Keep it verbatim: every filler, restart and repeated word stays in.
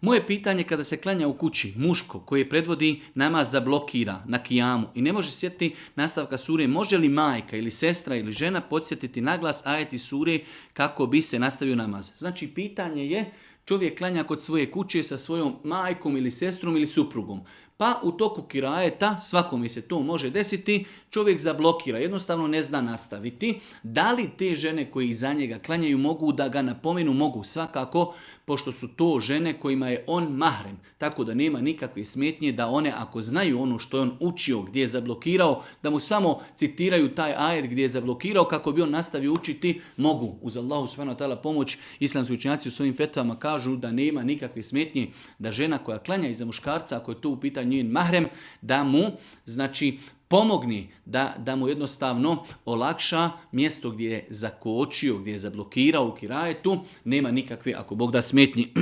Moje pitanje kada se klanja u kući, muško koji predvodi namaz zablokira na kijamu i ne može sjetiti nastavka sure, može li majka ili sestra ili žena podsjetiti naglas ajeti sure kako bi se nastavio namaz? Znači pitanje je, čovjek klanja kod svoje kuće sa svojom majkom ili sestrom ili suprugom. Pa u toku kirajeta, svakome se to može desiti, čovjek zablokira, jednostavno ne zna nastaviti. Da li te žene koji iza njega klanjaju mogu da ga napomenu? Mogu svakako, pošto su to žene kojima je on mahrem. Tako da nema nikakve smetnje da one, ako znaju ono što je on učio, gdje je zablokirao, da mu samo citiraju taj ajet gdje je zablokirao kako bi on nastavio učiti, mogu. Uz Allahu subhanahu wa ta'ala pomoć, islamski učenjaci u svojim fetvama kažu da nema nikakve smetnje da žena koja klanja iza muškarca, ako je to u pitanju njen mahrem, da mu, znači, pomogni, da, da mu jednostavno olakša mjesto gdje je zakočio, gdje je zablokirao u kirajetu, nema nikakve, ako Bog da, smetnji.